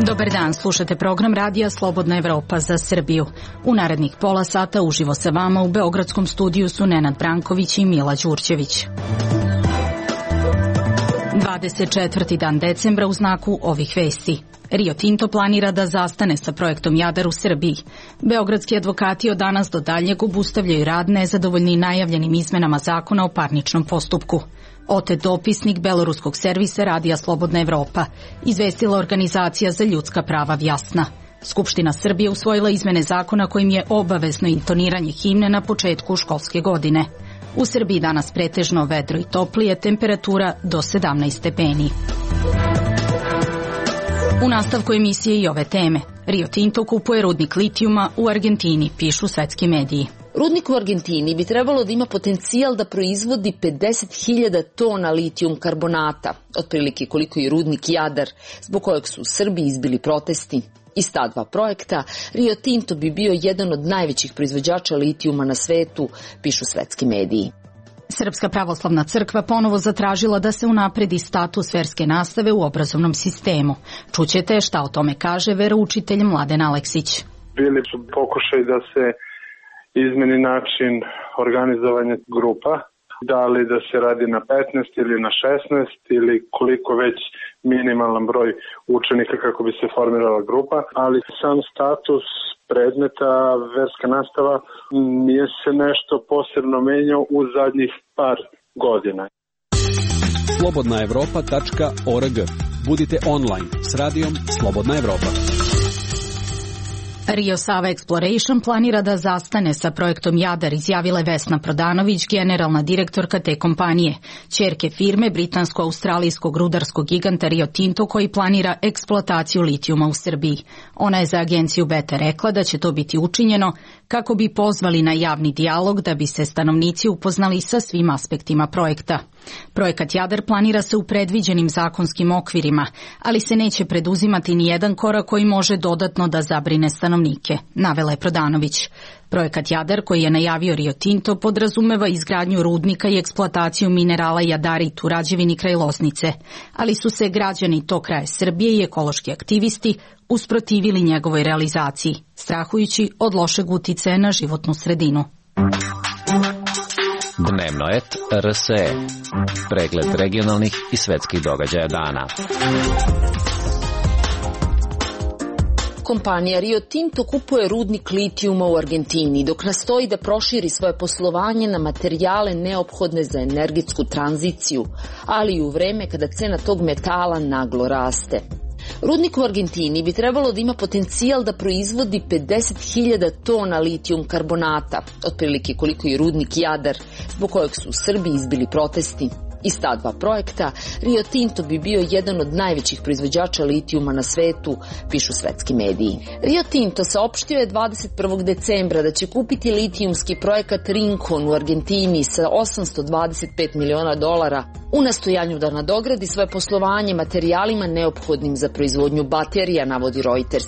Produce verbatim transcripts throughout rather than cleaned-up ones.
Dobar dan, slušate program Radija Slobodna Evropa za Srbiju. U narednih pola sata uživo sa vama u beogradskom studiju su Nenad Branković i Mila Đurđević. dvadeset četvrti dan decembra u znaku ovih vesti. Rio Tinto planira da zastane sa projektom Jadar u Srbiji. Beogradski advokati od danas do daljnjeg obustavljaju rad nezadovoljni najavljenim izmenama zakona o parničnom postupku. Otet dopisnik beloruskog servisa Radija Slobodna Evropa, izvestila organizacija za ljudska prava Vjasna. Skupština Srbije usvojila izmene zakona kojim je obavezno intoniranje himne na početku školske godine. U Srbiji danas pretežno vedro i toplije, temperatura do sedamnaest stepeni. U nastavku emisije i ove teme. Rio Tinto kupuje rudnik litijuma u Argentini, pišu svetski mediji. Rudnik u Argentini bi trebalo da ima potencijal da proizvodi pedeset hiljada tona litijum karbonata, otprilike koliko je rudnik Jadar, zbog kojeg su u Srbiji izbili protesti. Iz ta dva projekta, Rio Tinto bi bio jedan od najvećih proizvođača litijuma na svetu, pišu svetski mediji. Srpska pravoslavna crkva ponovo zatražila da se unapredi status verske nastave u obrazovnom sistemu. Čućete šta o tome kaže veroučitelj Mladen Aleksić. Bili su pokušaj da se izmeni način organizovanja grupa, da li da se radi na petnaest ili na šesnaest ili koliko već minimalan broj učenika kako bi se formirala grupa, ali sam status predmeta verska nastava nije se nešto posebno menjao u zadnjih par godina. slobodna evropa tačka org. Budite online s radijom Slobodna Evropa. Rio Sava Exploration planira da zastane sa projektom Jadar, izjavila je Vesna Prodanović, generalna direktorka te kompanije, ćerke firme britansko-australijskog rudarskog giganta Rio Tinto koji planira eksploataciju litijuma u Srbiji. Ona je za agenciju Beta rekla da će to biti učinjeno kako bi pozvali na javni dijalog da bi se stanovnici upoznali sa svim aspektima projekta. Projekat Jadar planira se u predviđenim zakonskim okvirima, ali se neće preduzimati ni jedan korak koji može dodatno da zabrine stanovnike, navela je Prodanović. Projekat Jadar, koji je najavio Rio Tinto, podrazumeva izgradnju rudnika i eksploataciju minerala jadarit u Rađevini kraj Loznice, ali su se građani tog kraja Srbije i ekološki aktivisti usprotivili njegovoj realizaciji, strahujući od lošeg uticaja na životnu sredinu. Dnevnoet R S E. Pregled regionalnih i svetskih događaja dana. Kompanija Rio Tinto kupuje rudnik litijuma u Argentini, dok nastoji da proširi svoje poslovanje na materijale neophodne za energetsku tranziciju, ali i u vreme kada cena tog metala naglo raste. Rudnik u Argentini bi trebalo da ima potencijal da proizvodi pedeset hiljada tona litijum karbonata, otprilike koliko je rudnik Jadar, zbog kojeg su u Srbiji izbili protesti. Iz ta dva projekta, Rio Tinto bi bio jedan od najvećih proizvođača litijuma na svetu, pišu svetski mediji. Rio Tinto saopštio je dvadeset prvog decembra da će kupiti litijumski projekat Rincon u Argentini sa osamsto dvadeset pet miliona dolara u nastojanju da nadogradi svoje poslovanje materijalima neophodnim za proizvodnju baterija, navodi Reuters.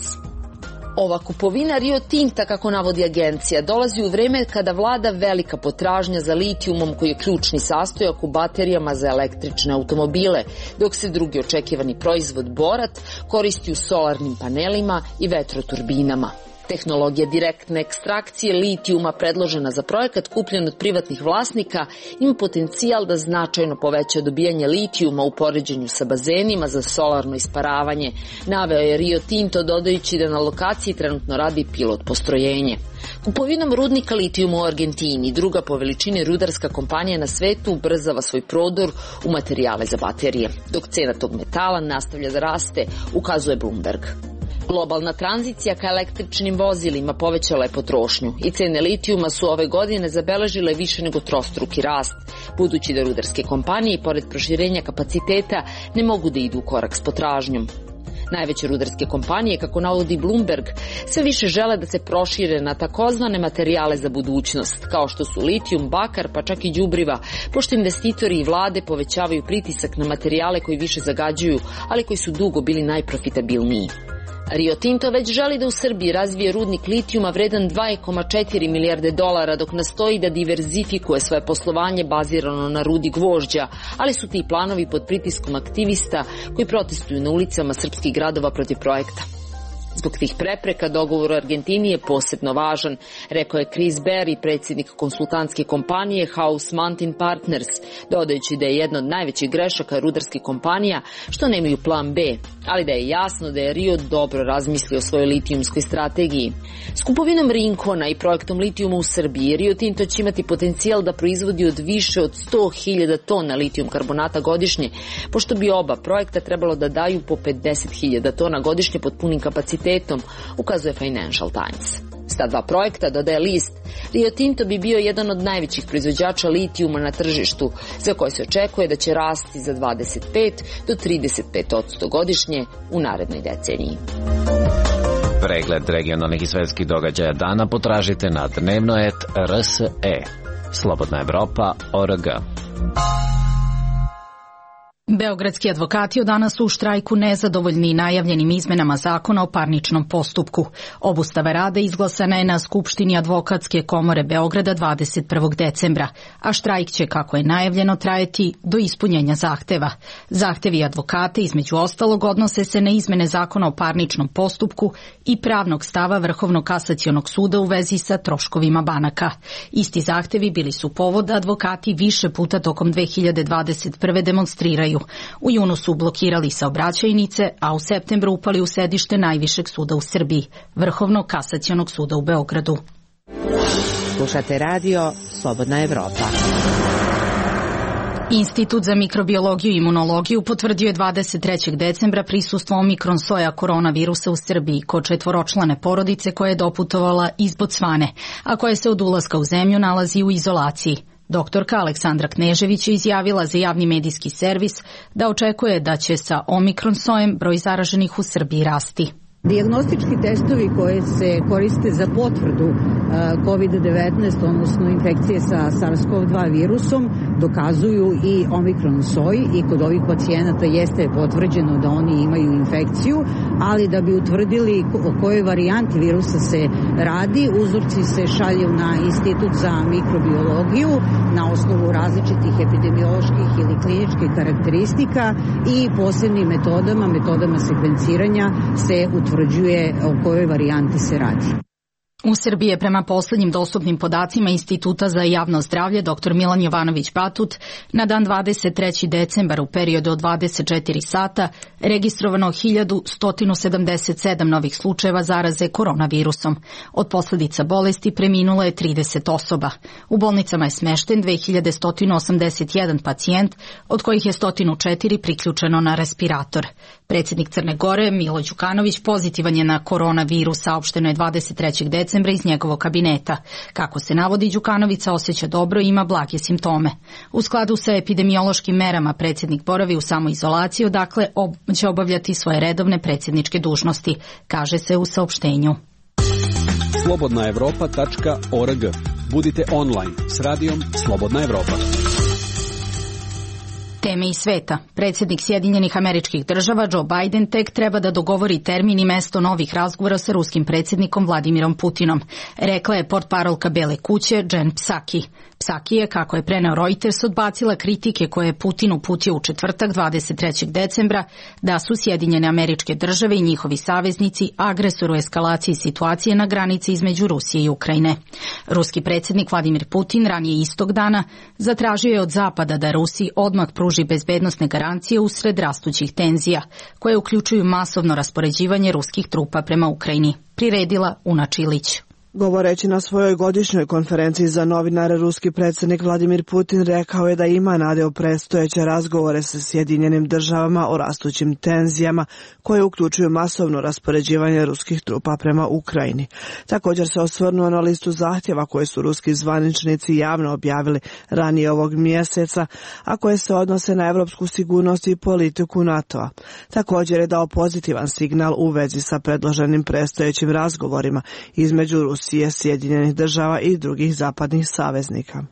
Ova kupovina Rio Tinta, kako navodi agencija, dolazi u vreme kada vlada velika potražnja za litijumom koji je ključni sastojak u baterijama za električne automobile, dok se drugi očekivani proizvod borat koristi u solarnim panelima i vetroturbinama. Tehnologija direktne ekstrakcije litijuma predložena za projekat kupljen od privatnih vlasnika ima potencijal da značajno poveća dobijanje litijuma u poređenju sa bazenima za solarno isparavanje, naveo je Rio Tinto dodajući da na lokaciji trenutno radi pilot postrojenje. Kupovinom rudnika litijuma u Argentini, druga po veličini rudarska kompanija na svetu, ubrzava svoj prodor u materijale za baterije, dok cena tog metala nastavlja da raste, ukazuje Bloomberg. Globalna tranzicija ka električnim vozilima povećala je potrošnju i cene litijuma su ove godine zabeležile više nego trostruki rast, budući da rudarske kompanije, pored proširenja kapaciteta, ne mogu da idu u korak s potražnjom. Najveće rudarske kompanije, kako navodi Bloomberg, sve više žele da se prošire na takozvane materijale za budućnost, kao što su litijum, bakar, pa čak i đubriva, pošto investitori i vlade povećavaju pritisak na materijale koji više zagađuju, ali koji su dugo bili najprofitabilniji. Rio Tinto već želi da u Srbiji razvije rudnik litijuma vredan dva zarez četiri milijarde dolara, dok nastoji da diverzifikuje svoje poslovanje bazirano na rudi gvožđa, ali su ti planovi pod pritiskom aktivista koji protestuju na ulicama srpskih gradova protiv projekta. Zbog tih prepreka dogovor u Argentini je posebno važan, rekao je Chris Berry, predsjednik konsultantske kompanije House Mountain Partners, dodajući da je jedna od najvećih grešaka rudarskih kompanija što nemaju plan B, ali da je jasno da je Rio dobro razmislio o svojoj litijumskoj strategiji. S kupovinom Rincona i projektom litijuma u Srbiji, Rio Tinto će imati potencijal da proizvodi od više od sto hiljada tona litijum karbonata godišnje, pošto bi oba projekta trebalo da daju po pedeset hiljada tona godišnje pod punim kapacitetom, ukazuje Financial Times. S ta dva projekta, dodaje list, Rio Tinto bi bio jedan od najvećih proizvođača litijuma na tržištu, za koje se očekuje da će rasti za dvadeset pet do trideset pet posto godišnje u narednoj deceniji. Pregled regionalnih i svetskih događaja dana potražite na dnevnoet tačka r s e. Slobodna Evropa tačka org. Beogradski advokati od danas su u štrajku nezadovoljni najavljenim izmenama zakona o parničnom postupku. Obustava rada izglasana je na Skupštini Advokatske komore Beograda dvadeset prvog decembra, a štrajk će, kako je najavljeno, trajati do ispunjenja zahteva. Zahtevi advokata, između ostalog, odnose se na izmene zakona o parničnom postupku i pravnog stava Vrhovnog kasacionog suda u vezi sa troškovima banaka. Isti zahtevi bili su povod da advokati više puta tokom dve hiljade dvadeset prve demonstriraju. U junu su blokirali saobraćajnice, a u septembru upali u sedište najvišeg suda u Srbiji, Vrhovnog kasacionog suda u Beogradu. Slušate radio Slobodna Evropa. Institut za mikrobiologiju i imunologiju potvrdio je dvadeset trećeg decembra prisustvo omikron soja koronavirusa u Srbiji kod četvoročlane porodice koja je doputovala iz Bocvane, a koja se od ulaska u zemlju nalazi u izolaciji. Doktorka Aleksandra Knežević je izjavila za javni medijski servis da očekuje da će sa omikron sojem broj zaraženih u Srbiji rasti. Dijagnostički testovi koji se koriste za potvrdu kovid devetnaest, odnosno infekcije sa SARS-CoV dva virusom, dokazuju i omikron soj i kod ovih pacijenata jeste potvrđeno da oni imaju infekciju, ali da bi utvrdili o kojoj varijanti virusa se radi, uzorci se šalju na Institut za mikrobiologiju na osnovu različitih epidemioloških ili kliničkih karakteristika i posebnim metodama, metodama sekvenciranja se utvrđuje o kojoj varijanti se radi. U Srbiji je prema poslednjim dostupnim podacima Instituta za javno zdravlje dr Milan Jovanović Batut na dan dvadeset trećeg decembra u periodu od dvadeset četiri sata registrovano hiljadu sto sedamdeset sedam novih slučajeva zaraze koronavirusom. Od posledica bolesti preminulo je trideset osoba. U bolnicama je smešten dve hiljade sto osamdeset jedan pacijent, od kojih je sto četiri priključeno na respirator. Predsjednik Crne Gore Milo Đukanović pozitivan je na koronavirus, saopšteno je dvadeset trećeg decembra iz njegovog kabineta. Kako se navodi, Đukanović se osjeća dobro i ima blage simptome. U skladu sa epidemiološkim merama predsjednik boravi u samoizolaciji, odakle ob će obavljati svoje redovne predsjedničke dužnosti, kaže se u saopštenju. slobodna evropa tačka org. Budite online s radijom Slobodna Evropa. Teme iz sveta. Predsjednik Sjedinjenih Američkih Država Joe Biden tek treba da dogovori termin i mesto novih razgovora sa ruskim predsjednikom Vladimirom Putinom, rekla je portparolka Bele kuće Jen Psaki. Psaki je, kako je preneo Reuters, odbacila kritike koje je Putin uputio u četvrtak dvadeset trećeg decembra da su Sjedinjene Američke Države i njihovi saveznici agresor u eskalaciji situacije na granici između Rusije i Ukrajine. Ruski predsjednik Vladimir Putin ranije istog dana zatražio je od Zapada da Rusiji odmah pruži bezbednosne garancije usred rastućih tenzija, koje uključuju masovno raspoređivanje ruskih trupa prema Ukrajini, priredila Una Čilić. Govoreći na svojoj godišnjoj konferenciji za novinare, ruski predsjednik Vladimir Putin rekao je da ima nade u predstojeće razgovore sa Sjedinjenim Državama o rastućim tenzijama koje uključuju masovno raspoređivanje ruskih trupa prema Ukrajini. Također se osvrnuo na listu zahtjeva koje su ruski zvaničnici javno objavili ranije ovog mjeseca, a koje se odnose na evropsku sigurnost i politiku NATO-a. Također je dao pozitivan signal u vezi sa predloženim predstojećim razgovorima između Rusije, Sjedinjenih Država i drugih zapadnih saveznika.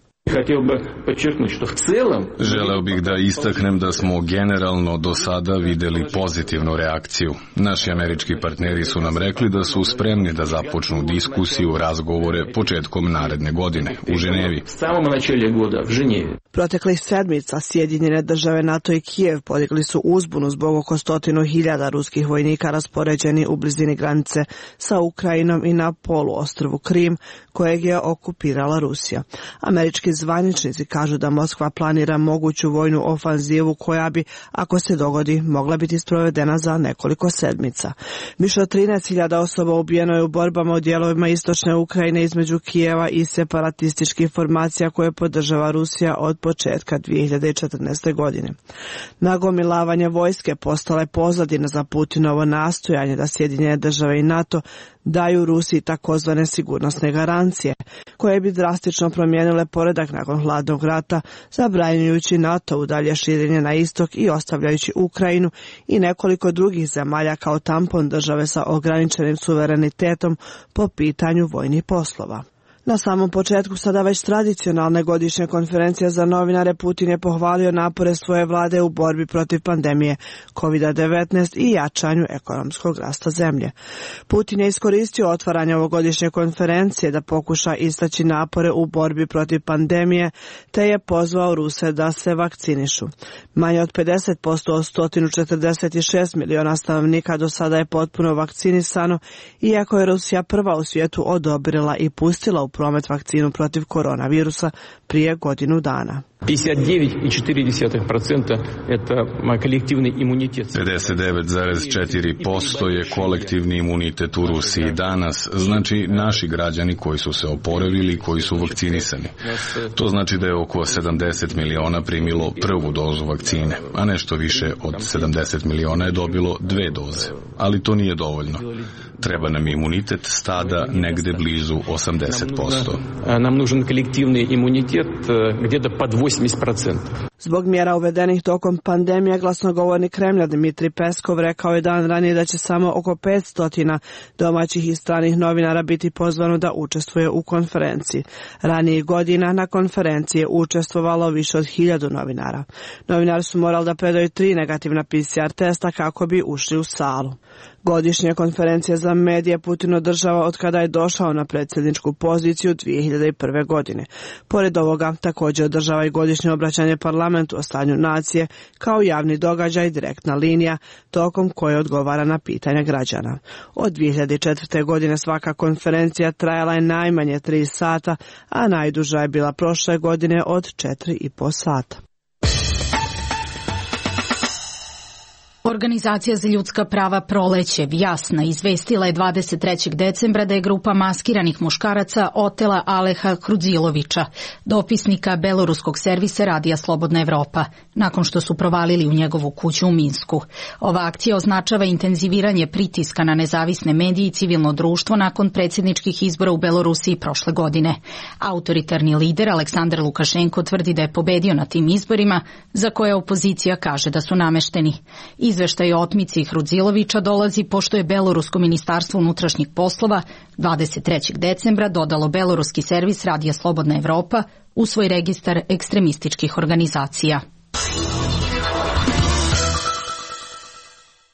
Želeo bih da istaknem da smo generalno do sada videli pozitivnu reakciju. Naši američki partneri su nam rekli da su spremni da započnu diskusiju, razgovore početkom naredne godine u Ženevi. Proteklih sedmica Sjedinjene države, NATO i Kijev podigli su uzbunu zbog oko stotinu hiljada ruskih vojnika raspoređeni u blizini granice sa Ukrajinom i na poluostrvu Krim, kojeg je okupirala Rusija. Američki zvaničnici kažu da Moskva planira moguću vojnu ofanzivu koja bi, ako se dogodi, mogla biti sprovedena za nekoliko sedmica. Više od trinaest hiljada osoba ubijeno je u borbama u dijelovima istočne Ukrajine između Kijeva i separatističkih formacija koje podržava Rusija od početka dvije hiljade četrnaeste. godine. Nagomilavanje vojske postala je pozadina za Putinovo nastojanje da Sjedinjene države i NATO daju Rusiji takozvane sigurnosne garancije, koje bi drastično promijenile poredak nakon hladnog rata, zabranjujući NATO u dalje širenje na istok i ostavljajući Ukrajinu i nekoliko drugih zemalja kao tampon države sa ograničenim suverenitetom po pitanju vojnih poslova. Na samom početku sada već tradicionalne godišnje konferencije za novinare Putin je pohvalio napore svoje vlade u borbi protiv pandemije kovid devetnaest i jačanju ekonomskog rasta zemlje. Putin je iskoristio otvaranje ovogodišnje konferencije da pokuša istaći napore u borbi protiv pandemije, te je pozvao Ruse da se vakcinišu. Manje od pedeset posto od sto četrdeset šest miliona stanovnika do sada je potpuno vakcinisano, iako je Rusija prva u svijetu odobrila i pustila u promet vakcinu protiv koronavirusa prije godinu dana. pedeset devet zarez četiri posto je kolektivni imunitet u Rusiji danas, znači naši građani koji su se oporavili, koji su vakcinisani. To znači da je oko sedamdeset miliona primilo prvu dozu vakcine, a nešto više od sedamdeset miliona je dobilo dve doze. Ali to nije dovoljno. Treba nam imunitet stada negde blizu osamdeset posto. Nam nužan kolektivni imunitet gdje pod osamdeset posto. Zbog mjera uvedenih tokom pandemije, glasnogovornik Kremlja Dmitrij Peskov rekao je dan ranije da će samo oko petsto domaćih i stranih novinara biti pozvano da učestvuje u konferenciji. Ranijih godina na konferenciji je učestvovalo više od hiljadu novinara. Novinari su morali da predaju tri negativna P C R testa kako bi ušli u salu. Godišnje konferencije za medije Putin održava od kada je došao na predsjedničku poziciju dvije hiljade prve. godine. Pored ovoga, također održava i godišnje obraćanje parlamentu o stanju nacije kao javni događaj, direktna linija, tokom koje odgovara na pitanja građana. Od dvije hiljade četvrte. godine svaka konferencija trajala je najmanje tri sata, a najduža je bila prošle godine od četiri i po sata. Organizacija za ljudska prava Proleće Vjasna izvestila je dvadeset trećeg decembra da je grupa maskiranih muškaraca otela Aleha Krudzilovića, dopisnika beloruskog servisa Radija Slobodna Evropa, nakon što su provalili u njegovu kuću u Minsku. Ova akcija označava intenziviranje pritiska na nezavisne medije i civilno društvo nakon predsjedničkih izbora u Belorusiji prošle godine. Autoritarni lider Aleksandar Lukašenko tvrdi da je pobedio na tim izborima, za koje opozicija kaže da su namešteni. Izveštaj o otmici Krudzilovića dolazi pošto je Belorusko ministarstvo unutrašnjih poslova dvadeset trećeg decembra dodalo beloruski servis Radija Slobodna Evropa u svoj registar ekstremističkih organizacija.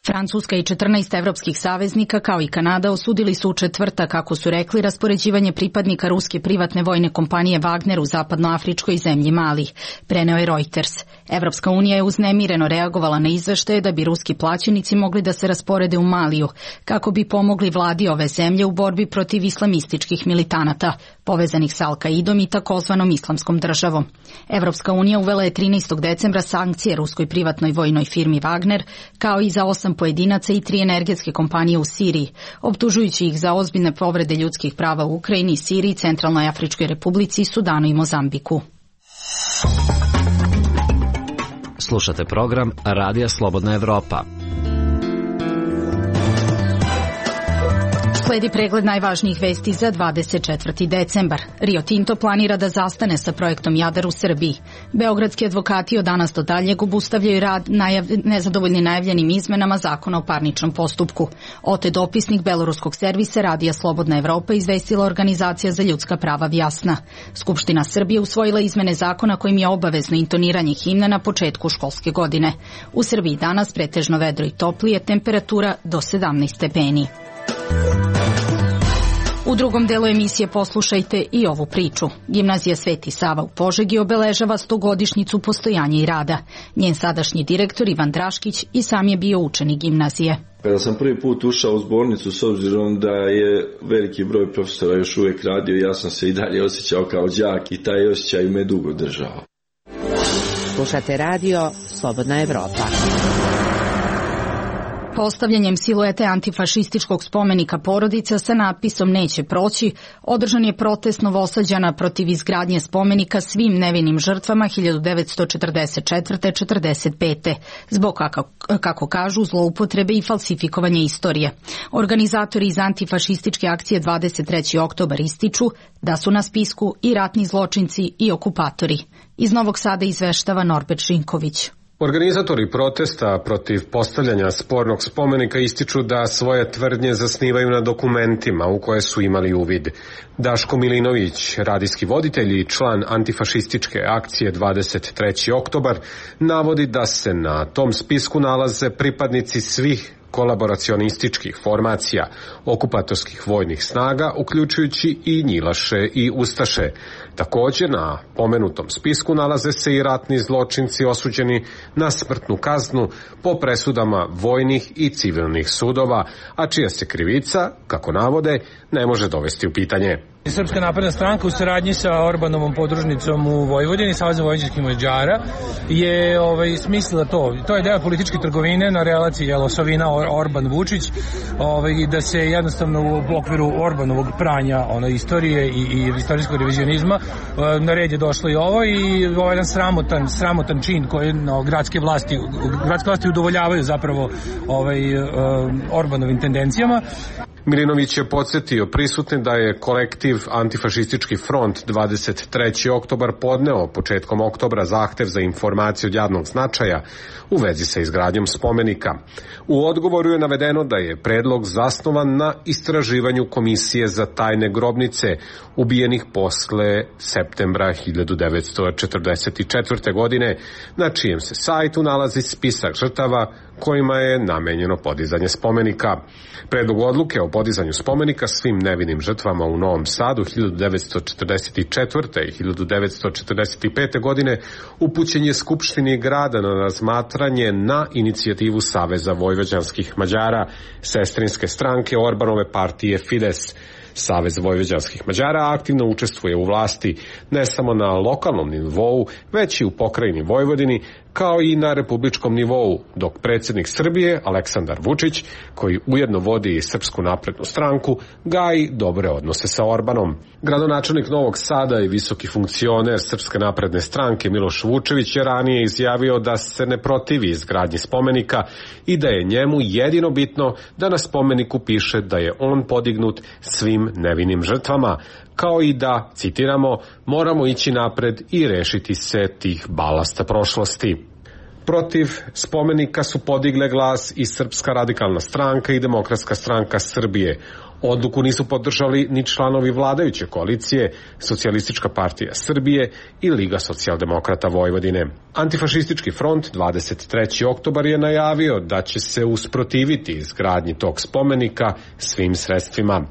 Francuska i četrnaest evropskih saveznika kao i Kanada osudili su u četvrtak, kako su rekli, raspoređivanje pripadnika ruske privatne vojne kompanije Wagner u zapadnoafričkoj zemlji Mali, preneo je Reuters. Evropska unija je uznemireno reagovala na izveštaje da bi ruski plaćenici mogli da se rasporede u Maliju, kako bi pomogli vladi ove zemlje u borbi protiv islamističkih militanata, povezanih sa Al-Kaidom i takozvanom islamskom državom. Evropska unija uvela je trinaestog decembra sankcije ruskoj privatnoj vojnoj firmi Wagner, kao i za osam pojedinaca i tri energetske kompanije u Siriji, optužujući ih za ozbiljne povrede ljudskih prava u Ukrajini, Siriji, Centralnoj Afričkoj Republici, Sudanu i Mozambiku. Slušate program Radija Slobodna Evropa. Sledi pregled najvažnijih vesti za dvadeset četvrti decembar. Rio Tinto planira da zastane sa projektom Jadar u Srbiji. Beogradski advokati od danas do daljeg obustavljaju rad najav... nezadovoljni najavljenim izmenama zakona o parničnom postupku. Ote dopisnik beloruskog servisa Radija Slobodna Evropa izvestila Organizacija za ljudska prava Vjasna. Skupština Srbije usvojila izmene zakona kojim je obavezno intoniranje himne na početku školske godine. U Srbiji danas pretežno vedro i toplije, temperatura do sedamnaest stepeni. U drugom delu emisije poslušajte i ovu priču. Gimnazija Sveti Sava u Požegi obeležava stogodišnjicu postojanja i rada. Njen sadašnji direktor Ivan Draškić i sam je bio učenik gimnazije. Kada sam prvi put ušao u zbornicu, s obzirom da je veliki broj profesora još uvijek radio, ja sam se i dalje osjećao kao đak i taj osjećaj me dugo držao. Slušate radio Slobodna Evropa. Postavljanjem siluete antifašističkog spomenika porodica sa natpisom Neće proći, održan je protest Novosađana protiv izgradnje spomenika svim nevinim žrtvama hiljadu devetsto četrdeset četvrte do četrdeset pete zbog, kako, kako kažu, zloupotrebe i falsifikovanje istorije. Organizatori iz antifašističke akcije dvadeset treći oktobar ističu da su na spisku i ratni zločinci i okupatori. Iz Novog Sada izveštava Norbert Žinković. Organizatori protesta protiv postavljanja spornog spomenika ističu da svoje tvrdnje zasnivaju na dokumentima u koje su imali uvid. Daško Milinović, radijski voditelj i član antifašističke akcije dvadeset treći oktobar, navodi da se na tom spisku nalaze pripadnici svih kolaboracionističkih formacija, okupatorskih vojnih snaga, uključujući i njilaše i ustaše. Također na pomenutom spisku nalaze se i ratni zločinci osuđeni na smrtnu kaznu po presudama vojnih i civilnih sudova, a čija se krivica, kako navode, ne može dovesti u pitanje. Srpska napredna stranka u saradnji sa Orbanovom podružnicom u Vojvodini, Saveza vojvođanskih Mađara, je ovaj, smislila to. To je deo političke trgovine na relaciji Jelosovina Orban-Vučić, ovaj, da se jednostavno u okviru Orbanovog pranja ono, istorije i, i istorijskog revizionizma na red je došlo i ovo i ovaj jedan sramotan, sramotan čin koji no, gradske vlasti, gradske vlasti udovoljavaju zapravo ovaj, uh, Orbanovim tendencijama. Milinović je podsjetio prisutne da je kolektiv Antifašistički front dvadeset treći oktobar podneo početkom oktobra zahtev za informaciju od javnog značaja u vezi sa izgradnjom spomenika. U odgovoru je navedeno da je predlog zasnovan na istraživanju Komisije za tajne grobnice ubijenih posle septembra hiljadu devetsto četrdeset četvrte. godine, na čijem se sajtu nalazi spisak žrtava kojima je namenjeno podizanje spomenika. Predlog odluke o podizanju spomenika svim nevinim žrtvama u Novom Sadu hiljadu devetsto četrdeset četvrte. i hiljadu devetsto četrdeset pete. godine upućen je Skupštini grada na razmatranje na inicijativu Saveza vojvođanskih Mađara, sestrinske stranke Orbanove partije Fides. Savez vojvođanskih Mađara aktivno učestvuje u vlasti ne samo na lokalnom nivou, već i u pokrajini Vojvodini, kao i na republičkom nivou, dok predsjednik Srbije, Aleksandar Vučić, koji ujedno vodi i Srpsku naprednu stranku, gaji dobre odnose sa Orbanom. Gradonačelnik Novog Sada i visoki funkcioner Srpske napredne stranke Miloš Vučević je ranije izjavio da se ne protivi izgradnji spomenika i da je njemu jedino bitno da na spomeniku piše da je on podignut svim nevinim žrtvama, kao i da, citiramo, moramo ići napred i rešiti se tih balasta prošlosti. Protiv spomenika su podigle glas i Srpska radikalna stranka i Demokratska stranka Srbije. Odluku nisu podržali ni članovi vladajuće koalicije, Socijalistička partija Srbije i Liga socijaldemokrata Vojvodine. Antifašistički front dvadeset treći oktobar je najavio da će se usprotiviti izgradnji tog spomenika svim sredstvima.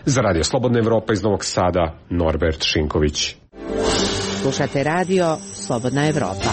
Za Radio Slobodna Evropa iz Novog Sada, Norbert Šinković. Slušate radio Slobodna Evropa.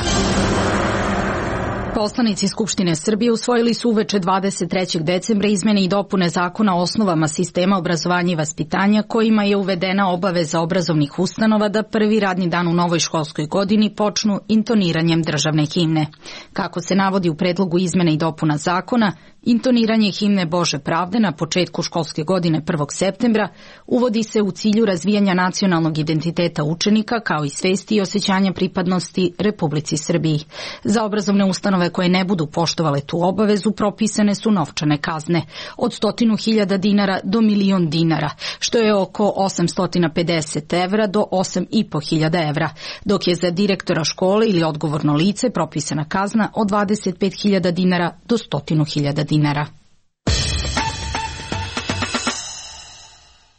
Poslanici Skupštine Srbije usvojili su uveče dvadeset trećeg decembra izmene i dopune zakona o osnovama sistema obrazovanja i vaspitanja kojima je uvedena obaveza obrazovnih ustanova da prvi radni dan u novoj školskoj godini počnu intoniranjem državne himne. Kako se navodi u predlogu izmene i dopuna zakona, intoniranje himne Bože pravde na početku školske godine prvog septembra uvodi se u cilju razvijanja nacionalnog identiteta učenika kao i svesti i osjećanja pripadnosti Republici Srbiji. Za obrazovne ustanove koje ne budu poštovale tu obavezu propisane su novčane kazne od stotinu hiljada dinara do milion dinara, što je oko osamsto pedeset evra do osam i po hiljada evra, dok je za direktora škole ili odgovorno lice propisana kazna od dvadeset pet hiljada dinara do stotinu hiljada dinara.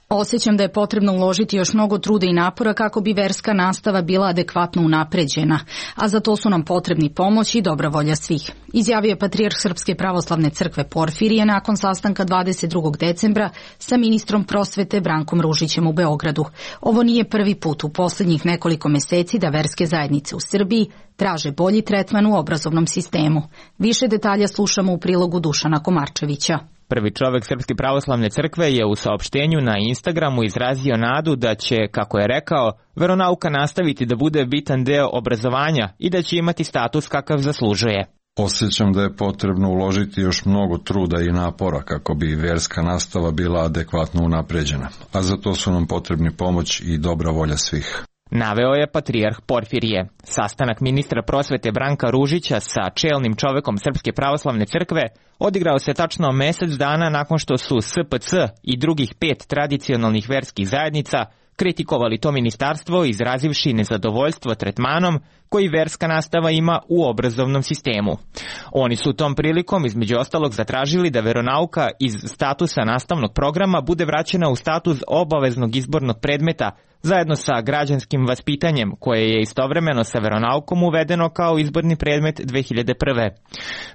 Osjećam da je potrebno uložiti još mnogo truda i napora kako bi verska nastava bila adekvatno unapređena, a za to su nam potrebni pomoć i dobra volja svih, izjavio je patrijarh Srpske pravoslavne crkve Porfirije nakon sastanka dvadeset drugog decembra sa ministrom prosvete Brankom Ružićem u Beogradu. Ovo nije prvi put u poslednjih nekoliko meseci da verske zajednice u Srbiji traže bolji tretman u obrazovnom sistemu. Više detalja slušamo u prilogu Dušana Komarčevića. Prvi čovek Srpske pravoslavne crkve je u saopštenju na Instagramu izrazio nadu da će, kako je rekao, veronauka nastaviti da bude bitan deo obrazovanja i da će imati status kakav zaslužuje. Osjećam da je potrebno uložiti još mnogo truda i napora kako bi verska nastava bila adekvatno unapređena, a za to su nam potrebni pomoć i dobra volja svih. Naveo je patrijarh Porfirije. Sastanak ministra prosvete Branka Ružića sa čelnim čovekom Srpske pravoslavne crkve odigrao se tačno mesec dana nakon što su S P C i drugih pet tradicionalnih verskih zajednica kritikovali to ministarstvo izrazivši nezadovoljstvo tretmanom koji verska nastava ima u obrazovnom sistemu. Oni su tom prilikom između ostalog zatražili da veronauka iz statusa nastavnog programa bude vraćena u status obaveznog izbornog predmeta zajedno sa građanskim vaspitanjem koje je istovremeno sa veronaukom uvedeno kao izborni predmet dve hiljade prve.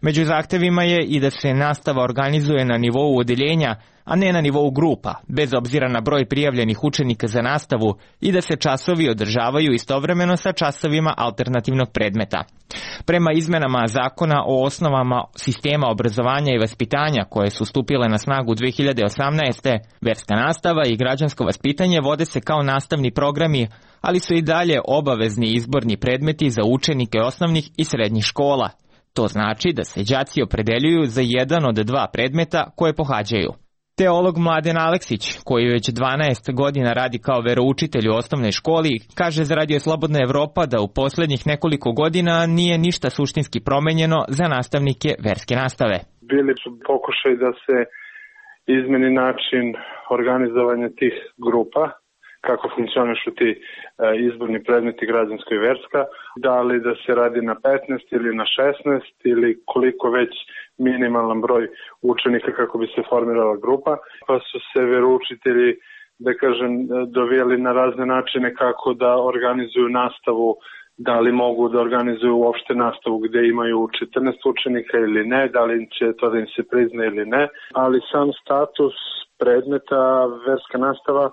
Među zahtevima je i da se nastava organizuje na nivou odeljenja, a ne na nivou grupa, bez obzira na broj prijavljenih učenika za nastavu i da se časovi održavaju istovremeno sa časovima alternativnog predmeta. Prema izmenama zakona o osnovama sistema obrazovanja i vaspitanja koje su stupile na snagu dve hiljade osamnaeste. verska nastava i građansko vaspitanje vode se kao nastavni programi, ali su i dalje obavezni izborni predmeti za učenike osnovnih i srednjih škola. To znači da se đaci opredeljuju za jedan od dva predmeta koje pohađaju. Teolog Mladen Aleksić, koji već dvanaest godina radi kao veroučitelj u osnovnoj školi, kaže za Radio Slobodna Evropa da u poslednjih nekoliko godina nije ništa suštinski promenjeno za nastavnike verske nastave. Bili su pokušaj da se izmeni način organizovanja tih grupa, kako funkcionišu ti izborni predmeti građansko i verska, da li da se radi na petnaest ili na šesnaest ili koliko već minimalan broj učenika kako bi se formirala grupa, pa su se veroučitelji, da kažem, dovijeli na razne načine kako da organizuju nastavu, da li mogu da organizuju uopšte nastavu gde imaju četrnaest učenika ili ne, da li će to da im se prizna ili ne, ali sam status predmeta verska nastava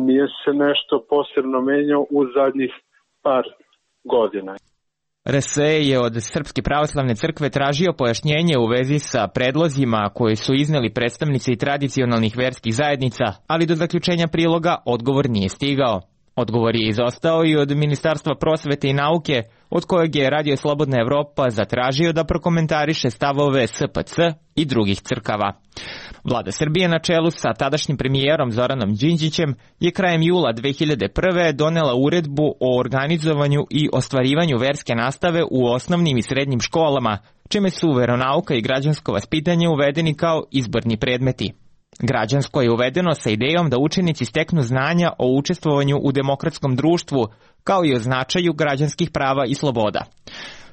nije se nešto posebno menjao u zadnjih par godina. R S E je od Srpske pravoslavne crkve tražio pojašnjenje u vezi sa predlozima koje su izneli predstavnici tradicionalnih verskih zajednica, ali do zaključenja priloga odgovor nije stigao. Odgovor je izostao i od Ministarstva prosvete i nauke, od kojeg je Radio Slobodna Evropa zatražio da prokomentariše stavove S P C i drugih crkava. Vlada Srbije na čelu sa tadašnjim premijerom Zoranom Đinđićem je krajem jula dve hiljade prve. donela uredbu o organizovanju i ostvarivanju verske nastave u osnovnim i srednjim školama, čime su veronauka i građansko vaspitanje uvedeni kao izborni predmeti. Građansko je uvedeno sa idejom da učenici steknu znanja o učestvovanju u demokratskom društvu, kao i o značaju građanskih prava i sloboda.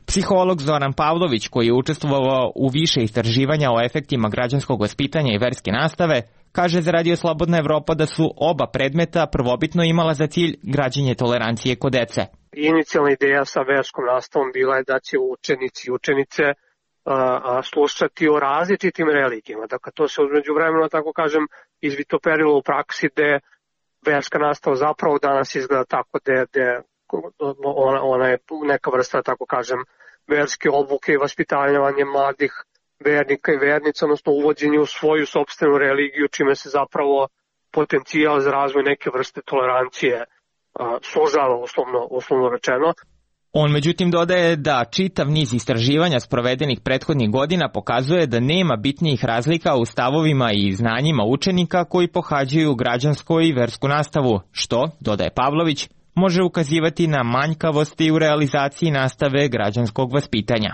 Psiholog Zoran Pavlović, koji je učestvovao u više istraživanja o efektima građanskog vaspitanja i verske nastave, kaže za Radio Slobodna Evropa da su oba predmeta prvobitno imala za cilj građenje tolerancije kod dece. Inicijalna ideja sa verskom nastavom bila je da će učenici i učenice a, slušati o različitim religijama. Dakle, to se umeđu vremena, tako kažem, izvitoperilo u praksi gde verska nastava zapravo danas izgleda tako da je ona, ona je neka vrsta, tako kažem, verske obuke i vaspitavanja mladih vernika i vernica, odnosno uvođenje u svoju sopstvenu religiju, čime se zapravo potencijal za razvoj neke vrste tolerancije a, sužava, uslovno, uslovno rečeno. On međutim dodaje da čitav niz istraživanja sprovedenih prethodnih godina pokazuje da nema bitnijih razlika u stavovima i znanjima učenika koji pohađaju građansku i versku nastavu, što, dodaje Pavlović, može ukazivati na manjkavosti u realizaciji nastave građanskog vaspitanja.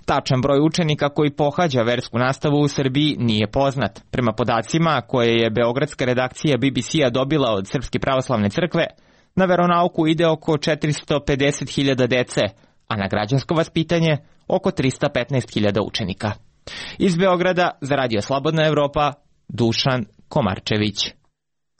Tačan broj učenika koji pohađa versku nastavu u Srbiji nije poznat. Prema podacima koje je beogradska redakcija B B C-a dobila od Srpske pravoslavne crkve, na veronauku ide oko četiristo pedeset hiljada dece, a na građansko vaspitanje oko tristo petnaest hiljada učenika. Iz Beograda za Radio Slobodna Evropa, Dušan Komarčević.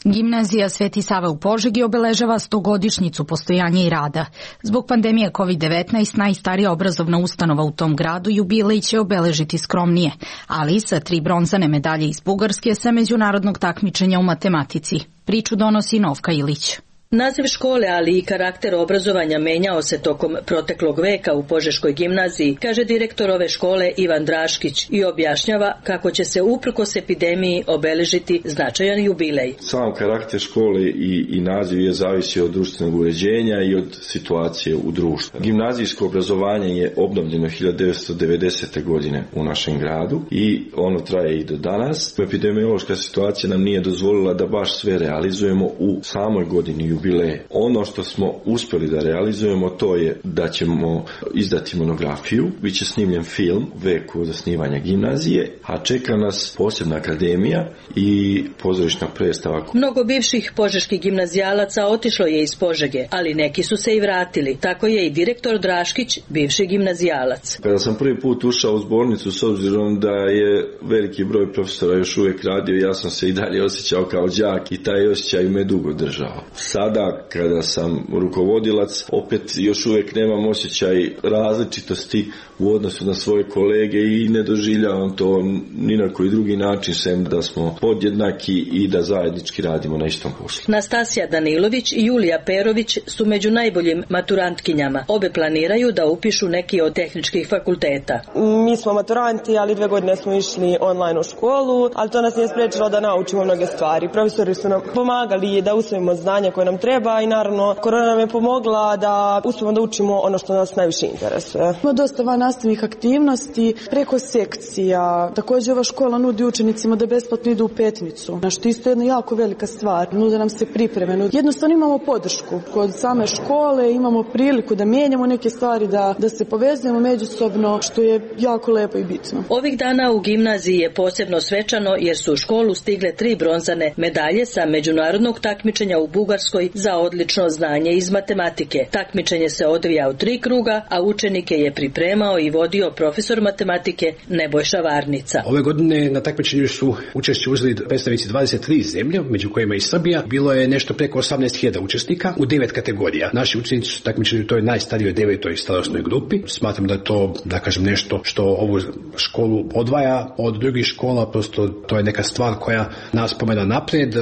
Gimnazija Sveti Sava u Požegi obeležava stogodišnjicu postojanja i rada. Zbog pandemije kovid devetnaest najstarija obrazovna ustanova u tom gradu jubilej će obeležiti skromnije, ali sa tri bronzane medalje iz Bugarske sa međunarodnog takmičenja u matematici. Priču donosi Novka Ilić. Naziv škole, ali i karakter obrazovanja menjao se tokom proteklog veka u Požeškoj gimnaziji, kaže direktor ove škole Ivan Draškić i objašnjava kako će se uprkos epidemiji obeležiti značajan jubilej. Sam karakter škole i, i naziv je zavisio od društvenog uređenja i od situacije u društvu. Gimnazijsko obrazovanje je obnovljeno hiljadu devetsto devedesete. godine u našem gradu i ono traje i do danas. Epidemiološka situacija nam nije dozvolila da baš sve realizujemo u samoj godini jubileje. Ono što smo uspjeli da realizujemo to je da ćemo izdati monografiju, bit će snimljen film Vek od osnivanja gimnazije, a čeka nas posebna akademija i pozorišna predstava. Mnogo bivših požeških gimnazijalaca otišlo je iz Požege, ali neki su se i vratili. Tako je i direktor Draškić, bivši gimnazijalac. Kada sam prvi put ušao u zbornicu, s obzirom da je veliki broj profesora još uvijek radio, ja sam se i dalje osjećao kao đak i taj osjećaj me dugo držao. Sada, kada sam rukovodilac, opet još uvijek nemam osjećaj različitosti u odnosu na svoje kolege i ne doživljavam to ni na koji drugi način, sem da smo podjednaki i da zajednički radimo na istom poslu. Nastasija Danilović i Julija Perović su među najboljim maturantkinjama. Obe planiraju da upišu neki od tehničkih fakulteta. Mi smo maturanti, ali dve godine smo išli online u školu, ali to nas nije spriječilo da naučimo mnoge stvari. Profesori su nam pomagali da usvojimo znanja koje nam treba i naravno korona nam je pomogla da uspijemo da učimo ono što nas najviše interesuje. Ima dosta van nastavnih aktivnosti preko sekcija. Također ova škola nudi učenicima da besplatno idu u Petnicu, na što isto je jedna jako velika stvar. Nude nam se pripreme. Jednostavno imamo podršku kod same škole, imamo priliku da mijenjamo neke stvari, da, da se povezujemo međusobno, što je jako lepo i bitno. Ovih dana u gimnaziji je posebno svečano jer su u školu stigle tri bronzane medalje sa međunarodnog takmičenja u Bugarskoj za odlično znanje iz matematike. Takmičenje se odvija u tri kruga, a učenike je pripremao i vodio profesor matematike Nebojša Varnica. Ove godine na takmičenju su učešće uzeli predstavnici dvadeset tri zemlje, među kojima i Srbija. Bilo je nešto preko osamnaest hiljada učesnika u devet kategorija. Naši učenici su takmičeni u toj najstarijoj devetoj starosnoj grupi. Smatram da je to, da kažem, nešto što ovu školu odvaja od drugih škola, prosto to je neka stvar koja nas pomena napred,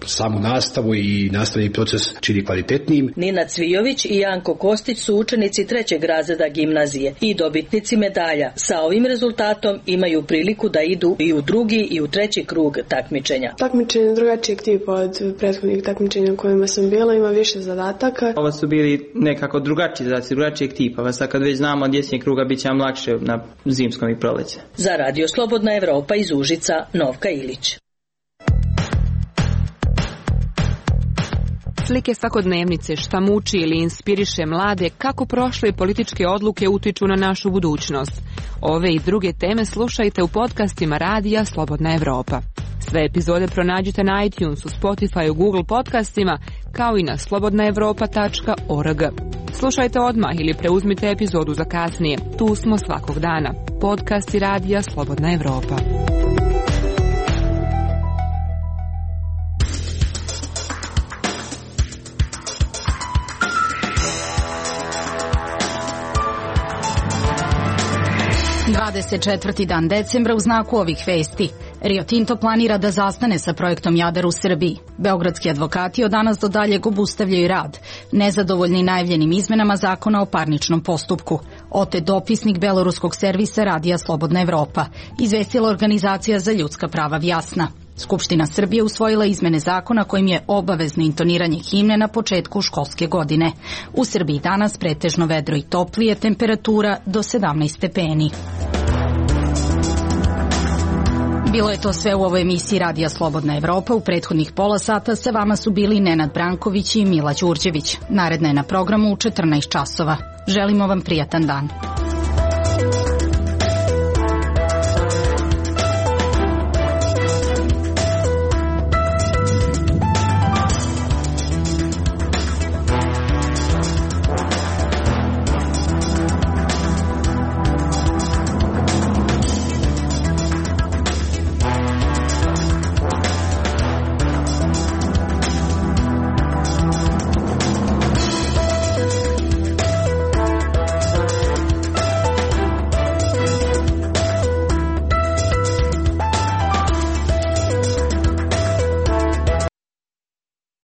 samu nastavu i nastavni proces čini kvalitetnijim. Nina Cvijović i Janko Kostić su učenici trećeg razreda gimnazije i dobitnici medalja. Sa ovim rezultatom imaju priliku da idu i u drugi i u treći krug takmičenja. Takmičenje drugačijeg tipa od prethodnih takmičenja u kojima sam bila, ima više zadataka. Ovo su bili nekako drugačiji zadaci, drugačijeg tipa. Sad kad već znamo od jesenjeg kruga bit će nam lakše na zimskom i proleće. Za Radio Slobodna Evropa iz Užica, Novka Ilić. Slike svakodnevnice, šta muči ili inspiriše mlade, kako prošle političke odluke utiču na našu budućnost. Ove i druge teme slušajte u podcastima Radija Slobodna Evropa. Sve epizode pronađite na iTunesu, Spotify, Google podcastima, kao i na slobodna evropa tačka org. Slušajte odmah ili preuzmite epizodu za kasnije. Tu smo svakog dana. Podcasti Radija Slobodna Evropa. dvadeset četvrti dan decembra u znaku ovih vesti. Rio Tinto planira da zastane sa projektom Jadar u Srbiji. Beogradski advokati od danas do daljeg obustavljaju rad, nezadovoljni najavljenim izmenama zakona o parničnom postupku. Otet dopisnik beloruskog servisa Radija Slobodna Evropa, izvestila organizacija za ljudska prava Vjasna. Skupština Srbije usvojila izmene zakona kojim je obavezno intoniranje himne na početku školske godine. U Srbiji danas pretežno vedro i toplije, temperatura do sedamnaest stepeni. Bilo je to sve u ovoj emisiji Radija Slobodna Evropa. U prethodnih pola sata sa vama su bili Nenad Branković i Mila Đurđević. Naredna je na programu u četrnaest časova. Želimo vam prijatan dan.